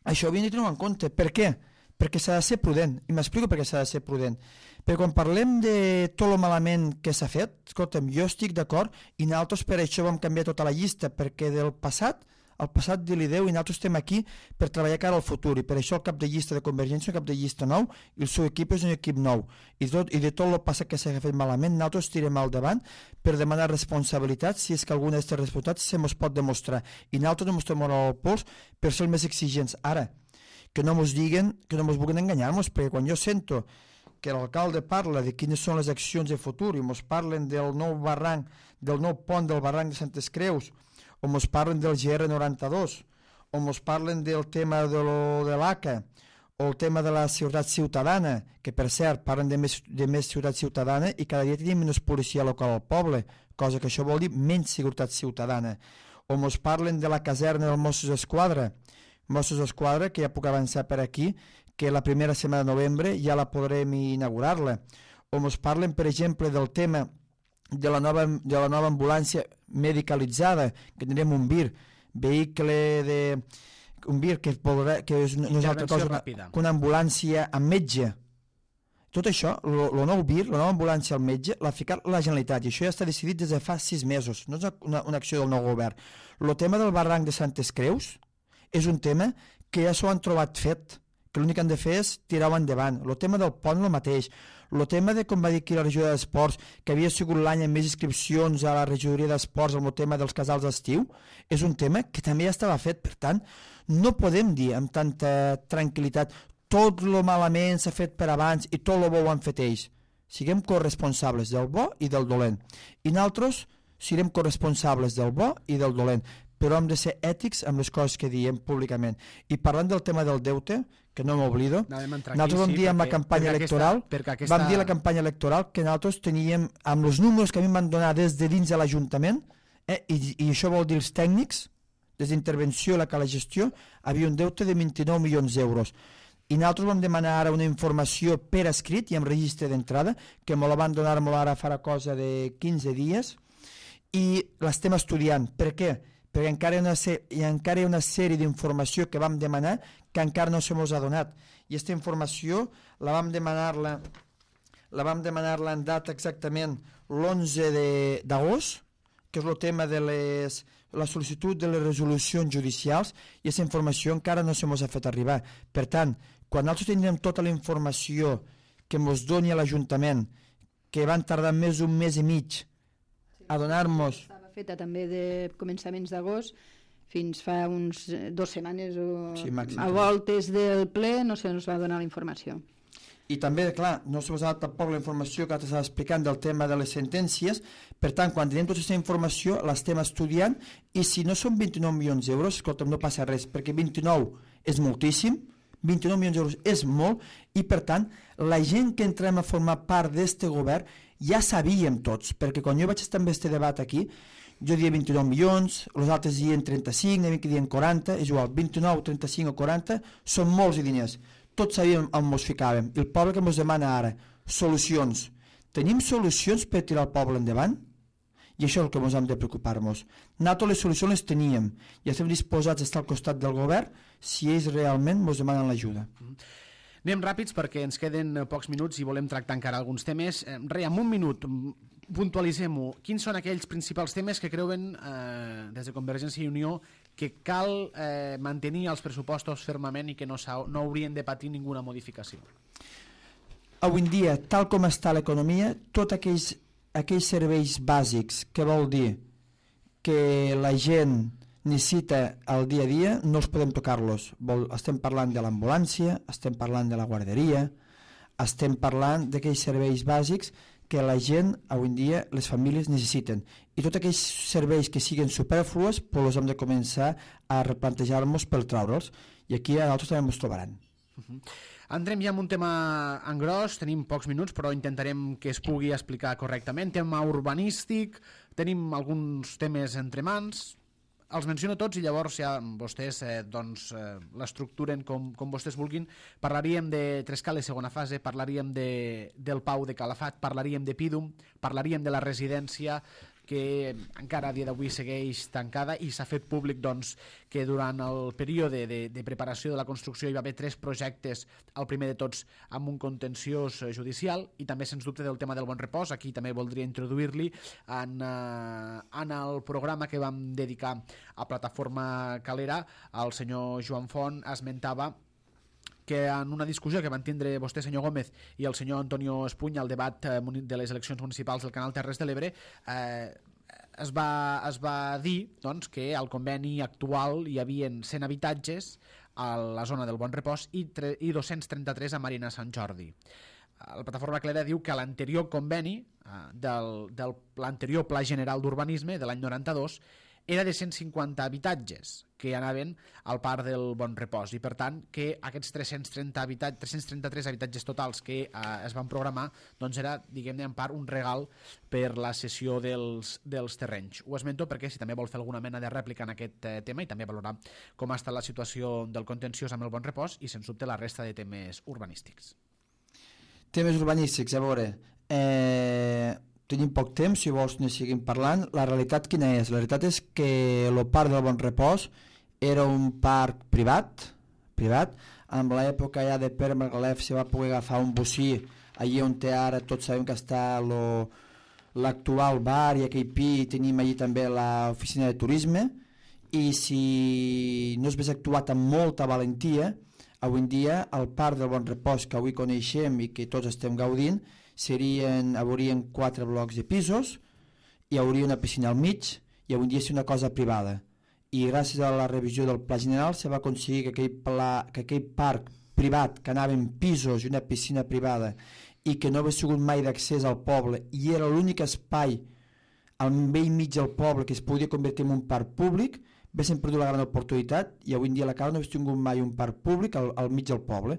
això ho havíem de tenir en compte. Per què? Perquè s'ha de ser prudent. I m'explico per què s'ha de ser prudent. Perquè quan parlem de tot el malament que s'ha fet, escolta'm, jo estic d'acord i nosaltres per això vam canviar tota la llista, perquè del passat el passat de l'ideu i nosaltres estem aquí per treballar cara al futur, i per això el cap de llista de Convergència és un cap de llista nou i el seu equip és un equip nou, i, tot, i de tot el passat que s'ha fet malament nosaltres tirem al davant per demanar responsabilitats si és que alguna d'aquestes responsabilitats se mos pot demostrar, i nosaltres no mos tomem el pols per ser els més exigents. Ara, que no mos diguen, que no mos vulguin enganyar-nos, perquè quan jo sento que l'alcalde parla de quines són les accions de futur i mos parlen del nou barranc, del nou pont del barranc de Santes Creus, o mos parlen del G R noranta-dos, o ens parlen del tema de, lo, de l'A C A, o el tema de la seguretat ciutadana, que per cert parlen de més, de més seguretat ciutadana i cada dia tenim menys policia local al poble, cosa que això vol dir menys seguretat ciutadana. O ens parlen de la caserna dels Mossos d'Esquadra, Mossos d'Esquadra, que ja puc avançar per aquí, que la primera setmana de novembre ja la podrem inaugurar-la. O ens parlen, per exemple, del tema de la nova, de la nova ambulància medicalitzada, que tindrem un V I R, vehicle de... un V I R que, podrà, que és, no és altra cosa una, que una ambulància amb metge. Tot això, el nou V I R, la nova ambulància al metge, l'ha ficat la Generalitat, i això ja està decidit des de fa sis mesos, no és una, una acció del nou govern. El tema del barranc de Santes Creus és un tema que ja s'ho han trobat fet, que l'únic que han de fer és tirar-ho endavant. El tema del pont el mateix. El tema de, com va dir aquí la regidoria d'Esports, que havia sigut l'any amb més inscripcions a la regidoria d'Esports amb el tema dels casals d'estiu, és un tema que també ja estava fet. Per tant, no podem dir amb tanta tranquil·litat tot lo malament s'ha fet per abans i tot lo bo ho han fet ells. Siguem corresponsables del bo i del dolent. I nosaltres serem corresponsables del bo i del dolent, però hem de ser ètics amb les coses que diem públicament. I parlant del tema del deute, que no m'oblido, nosaltres vam dir en la campanya electoral, vam dir a la campanya electoral que nosaltres teníem, amb els números que a mi em van donar des de dins de l'Ajuntament, eh, i, i això vol dir els tècnics, des d'intervenció i la que la gestió, havia un deute de vint-i-nou milions d'euros. I nosaltres vam demanar ara una informació per escrit i amb registre d'entrada, que me la van donar molt ara farà cosa de quinze dies, i l'estem estudiant. Per què? Perquè encara hi ha una, hi ha, encara hi ha una sèrie d'informació que vam demanar que encara no se mos ha donat. I aquesta informació la vam demanar-la la vam demanar-la en data exactament l'onze d'agost, que és el tema de les, la sol·licitud de les resolucions judicials, i aquesta informació encara no se mos ha fet arribar. Per tant, quan nosaltres tindrem tota la informació que mos doni a l'Ajuntament, que van tardar més d'un mes i mig a donar-nos... Estava feta també de començaments d'agost fins fa uns dues setmanes o sí, màxim, a voltes del ple no se nos va donar la informació. I també, clar, no se us ha donat tampoc la informació que t'estava explicant del tema de les sentències. Per tant, quan tenim tota aquesta informació l'estem estudiant, i si no són vint-i-nou milions d'euros, escolta'm, no passa res, perquè vint-i-nou és moltíssim, vint-i-nou milions d'euros és molt, i per tant la gent que entrem a formar part d'aquest govern ja sabíem tots, perquè quan jo vaig estar amb aquest debat aquí, jo dia vint-i-nou milions, els altres dien trenta-cinc, n'hi havia que dien quaranta, és igual, vint-i-nou, trenta-cinc o quaranta, són molts diners. Tots sabíem on ens ficàvem. I el poble que ens demana ara, solucions. Tenim solucions per tirar el poble endavant? I això és el que ens hem de preocupar-nos. Nosaltres les solucions les teníem i estem disposats a estar al costat del govern si ells realment ens demanen l'ajuda. Anem ràpids perquè ens queden pocs minuts i volem tractar encara alguns temes. Re, en un minut, puntualitzem-ho. Quins són aquells principals temes que creuen eh, des de Convergència i Unió que cal eh, mantenir els pressupostos fermament i que no, no haurien de patir ninguna modificació? Avui en dia, tal com està l'economia, tots aquells, aquells serveis bàsics, que vol dir que la gent necessita al dia a dia, no els podem tocar-los. Estem parlant de l'ambulància, estem parlant de la guarderia, estem parlant d'aquells serveis bàsics que la gent, avui en dia, les famílies necessiten. I tots aquells serveis que siguin superfluos, doncs els hem de començar a replantejar-nos per traure'ls. I aquí a nosaltres també ens trobaran. Uh-huh. Entrem ja en un tema en gros, tenim pocs minuts, però intentarem que es pugui explicar correctament. Tema urbanístic, tenim alguns temes entre mans... Els menciono tots i llavors ja vostès eh, doncs, eh, l'estructuren com, com vostès vulguin. Parlaríem de Trescales segona fase, parlaríem de, del Pau de Calafat, parlaríem de Pídum, parlaríem de la residència que encara a dia d'avui segueix tancada, i s'ha fet públic doncs, que durant el període de, de preparació de la construcció hi va haver tres projectes, el primer de tots amb un contenciós judicial, i també sens dubte del tema del Bon Repòs. Aquí també voldria introduir-li en, eh, en el programa que vam dedicar a Plataforma Calera. El senyor Joan Font esmentava que en una discussió que van tindre vostè, senyor Gómez, i el senyor Antonio Espuny al debat de les eleccions municipals del Canal Terres de l'Ebre, eh, es, va, es va dir doncs, que al conveni actual hi havia cent habitatges a la zona del Bon Repòs i, i dos-cents trenta-tres a Marina Sant Jordi. La Plataforma Calera diu que l'anterior conveni eh, del, del l'anterior Pla General d'Urbanisme de l'any noranta-dos era de cent cinquanta habitatges que anaven al Parc del Bon Repòs, i per tant que aquests tres-cents trenta habitatges, tres-cents trenta-tres habitatges totals que eh, es van programar, doncs era, diguem-ne, en part un regal per la cessió dels, dels terrenys. Ho esmento perquè si també vol fer alguna mena de rèplica en aquest eh, tema i també valorar com ha estat la situació del contenciós amb el Bon Repòs i, sens dubte, la resta de temes urbanístics. Temes urbanístics, a veure... Eh... Tenim poc temps, si vols ne seguim parlant. La realitat quina és? La realitat és que el Parc del Bon Repòs era un parc privat, privat. En l'època ja de Pere Margalef se va poder agafar un bocí allí on té ara, tots sabem que està l'actual bar i aquell pi, i tenim allí també l'oficina de turisme, i si no es hagués actuat amb molta valentia, avui en dia el Parc del Bon Repòs que avui coneixem i que tots estem gaudint serien, haurien quatre blocs de pisos, hi hauria una piscina al mig i avui dia és una cosa privada. I gràcies a la revisió del Pla General se va aconseguir que aquell, pla, que aquell parc privat que anava en pisos i una piscina privada i que no havia sigut mai d'accés al poble i era l'únic espai al vell mig del poble que es podia convertir en un parc públic, haguessin perdut la gran oportunitat i avui en dia a la Cala no hagués tingut mai un parc públic al, al mig del poble.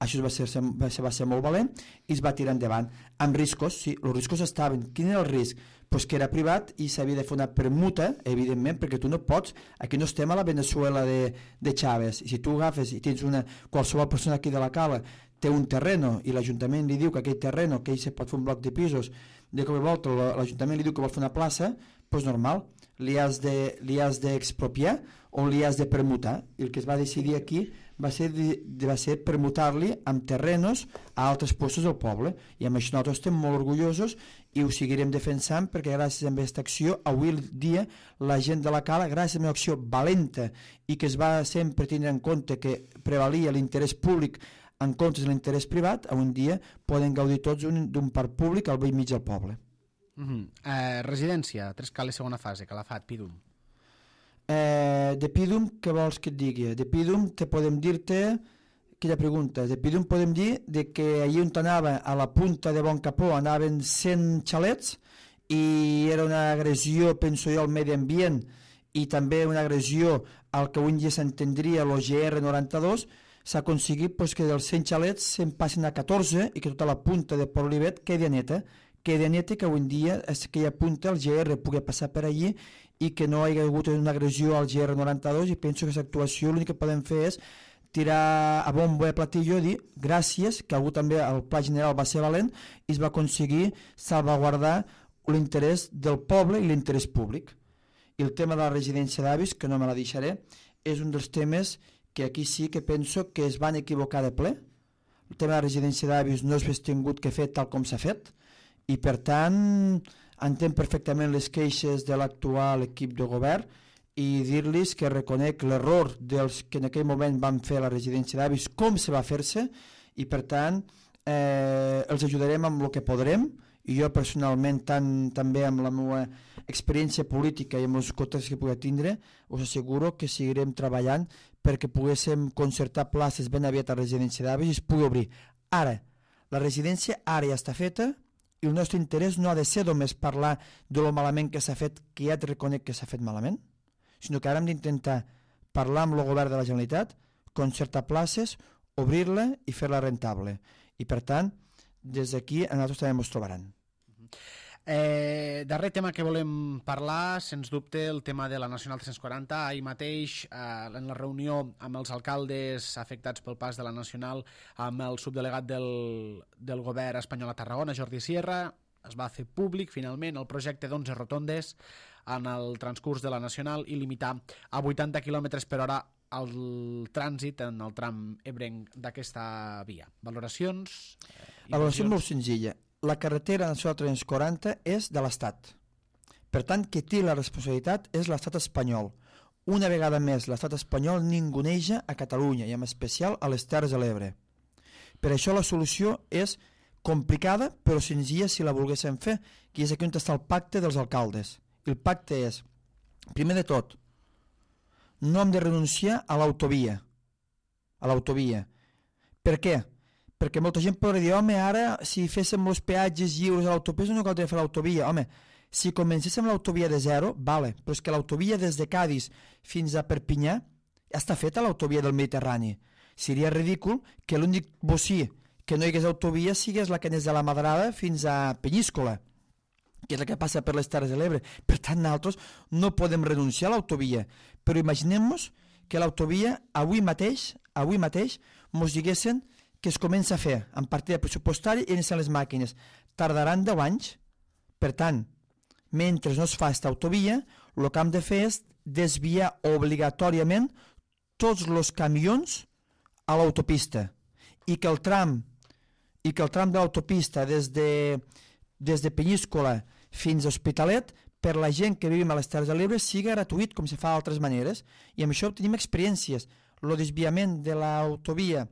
Això va ser, va, ser, va ser molt valent i es va tirar endavant. Amb riscos, sí, els riscos estaven. Quin era el risc? Pues que era privat i s'havia de fer una permuta, evidentment, perquè tu no pots, aquí no estem a la Venezuela de, de Chávez, i si tu agafes i tens una, qualsevol persona aquí de la Cala té un terreno i l'Ajuntament li diu que aquell terreno, que ell se pot fer un bloc de pisos, de cop i volta l'Ajuntament li diu que vol fer una plaça, doncs normal, li has de, li has d'expropiar o li has de permutar. I el que es va decidir aquí va ser, va ser permutar-li amb terrenos a altres puestos del poble, i amb això nosaltres estem molt orgullosos i ho seguirem defensant perquè gràcies a aquesta acció avui el dia la gent de la Cala, gràcies a una acció valenta i que es va sempre tenir en compte que prevalia l'interès públic en comptes de l'interès privat, avui en dia poden gaudir tots d'un parc públic al vell mig del poble. Uh-huh. eh, residència, Tres Cales segona fase, Calafat, Pídum. Eh, de Pídum, què vols que et digui? De Pídum te podem dir-te, quina pregunta, de Pídum podem dir de que allí on anava, a la punta de Bon Capó, anaven cent xalets i era una agressió, penso jo, al medi ambient i també una agressió al que avui en dia s'entendria el G R noranta-dos. S'ha aconseguit pues, que dels cent xalets se'n passin a catorze i que tota la punta de Port Olivet quedi neta, quedi neta, que avui en dia és aquella punta el G R pugui passar per allí i que no hi ha hagut una agressió al G R noranta-dos, i penso que aquesta actuació l'únic que podem fer és tirar a bombo i platillo i dir gràcies, que algú també el Pla General va ser valent i es va aconseguir salvaguardar l'interès del poble i l'interès públic. I el tema de la residència d'avis, que no me la deixaré, és un dels temes que aquí sí que penso que es van equivocar de ple. El tema de la residència d'avis no s'ha tingut que fer tal com s'ha fet i per tant entenc perfectament les queixes de l'actual equip de govern i dir-los que reconec l'error dels que en aquell moment van fer la residència d'avis, com se va fer-se, i per tant eh, els ajudarem amb el que podrem, i jo personalment tant, també amb la meva experiència política i amb els contactes que pugui tindre us asseguro que seguirem treballant perquè poguéssim concertar places ben aviat a la residència d'avis i es pugui obrir. Ara, la residència ara ja està feta i el nostre interès no ha de ser només parlar de lo malament que s'ha fet, que ja et reconec que s'ha fet malament, sinó que ara hem d'intentar parlar amb el govern de la Generalitat, concertar places, obrir-la i fer-la rentable. I per tant, des d'aquí a nosaltres també ens trobaran. Eh, darrer tema que volem parlar, sens dubte, el tema de la Nacional tres-cents quaranta. Ahir mateix, eh, en la reunió amb els alcaldes afectats pel pas de la Nacional, amb el subdelegat del, del govern espanyol a Tarragona, Jordi Sierra, es va fer públic finalment el projecte d'onze rotondes en el transcurs de la Nacional i limitar a vuitanta quilòmetres per hora el trànsit en el tram ebrenc d'aquesta via. Valoracions? Eh, La valoració és molt senzilla. La carretera nacional tres-cents quaranta és de l'Estat. Per tant, qui té la responsabilitat és l'Estat espanyol. Una vegada més, l'Estat espanyol ninguneja a Catalunya i en especial a les Terres de l'Ebre. Per això la solució és complicada però senzilla si la volguéssim fer, que és aquí on està el pacte dels alcaldes. El pacte és, primer de tot, no hem de renunciar a l'autovia. A l'autovia. Per què? Perquè molta gent podria dir, home, ara si féssim els peatges lliures a l'autopista no caldria fer l'autovia. Home, Si comencéssim l'autovia de zero, vale, però és que l'autovia des de Cádiz fins a Perpinyà està feta l'autovia del Mediterrani. Seria ridícul que l'únic bocí que no hi hagués autovia sigués la que anés de la Madrada fins a Penyíscola, que és la que passa per les Terres de l'Ebre. Per tant, nosaltres no podem renunciar a l'autovia, però imaginem-nos que l'autovia avui mateix, avui mateix, mos diguessin que es comença a fer en partida pressupostària i iniciar les màquines. Tardaran deu anys. Per tant, mentre no es fa aquesta autovia, el que hem de fer és desviar obligatòriament tots els camions a l'autopista i que el tram i que el tram de l'autopista des de, des de Penyíscola fins a Hospitalet per la gent que vivim a les Terres de l'Ebre sigui gratuït com se fa d'altres maneres, i amb això tenim experiències. El desviament de l'autovia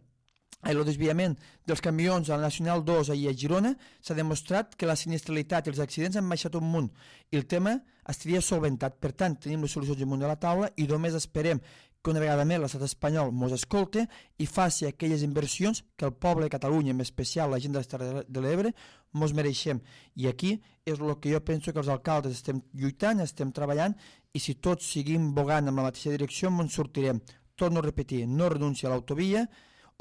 el desviament dels camions a la Nacional dos i a Girona s'ha demostrat que la sinistralitat i els accidents han baixat un munt i el tema estaria solventat. Per tant, tenim les solucions damunt de la taula i només esperem que una vegada més l'estat espanyol mos escolte i faci aquelles inversions que el poble de Catalunya, en especial la gent de les Terres de l'Ebre, mos mereixem. I aquí és el que jo penso que els alcaldes estem lluitant, estem treballant, i si tots seguim bogant en la mateixa direcció, ens sortirem. Torno a repetir, no renuncia a l'autovia,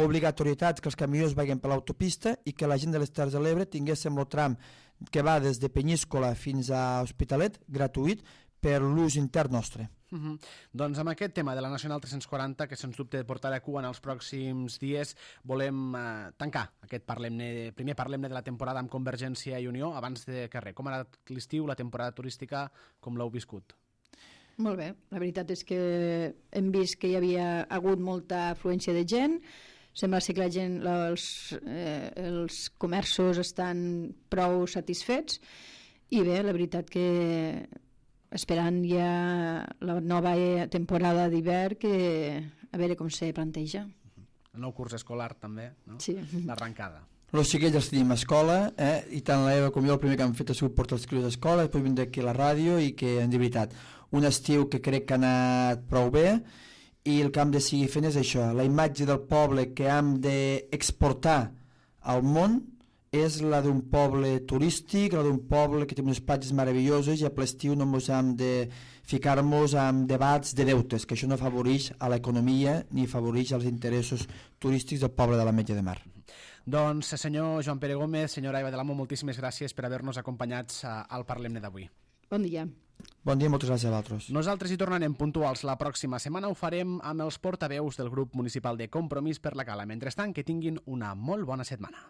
obligatorietat que els camions vagin per l'autopista i que la gent de les Terres de l'Ebre tinguéssim el tram que va des de Penyíscola fins a Hospitalet gratuït per l'ús intern nostre. Uh -huh. Doncs amb aquest tema de la Nacional tres-cents quaranta, que sens dubte portarà cua en els pròxims dies, volem eh, tancar aquest parlem-ne, primer parlem-ne de la temporada amb Convergència i Unió. Abans de que res, com ha anat l'estiu, la temporada turística, com l'heu viscut? Molt bé, la veritat és que hem vist que hi havia hagut molta afluència de gent, sembla ser que la gent, els, eh, els comerços estan prou satisfets, i bé, la veritat que esperant ja la nova temporada d'hivern, que a veure com se planteja. El nou curs escolar també, no? Sí. Els L'arrencada. xiquets els tenim a escola, eh? I tant l'Eva com jo el primer que hem fet ha sigut portar els crios a escola, després vindre aquí a la ràdio, i que, de veritat, un estiu que crec que ha anat prou bé, i el que hem de seguir fent és això, la imatge del poble que hem d'exportar al món és la d'un poble turístic, la d'un poble que té unes platges meravelloses, i a l'estiu no ens hem de ficar-nos en debats de deutes, que això no afavoreix a l'economia ni afavoreix els interessos turístics del poble de l'Ametlla de Mar. Doncs, senyor Joan Pere Gómez, senyora Eva de l'Amo, moltíssimes gràcies per haver-nos acompanyats al Parlem-ne d'avui. Bon dia. Bon dia, moltes gràcies a vosaltres. Nosaltres hi tornarem puntuals la pròxima setmana. Ho farem amb els portaveus del grup municipal de Compromís per la Cala. Mentrestant, que tinguin una molt bona setmana.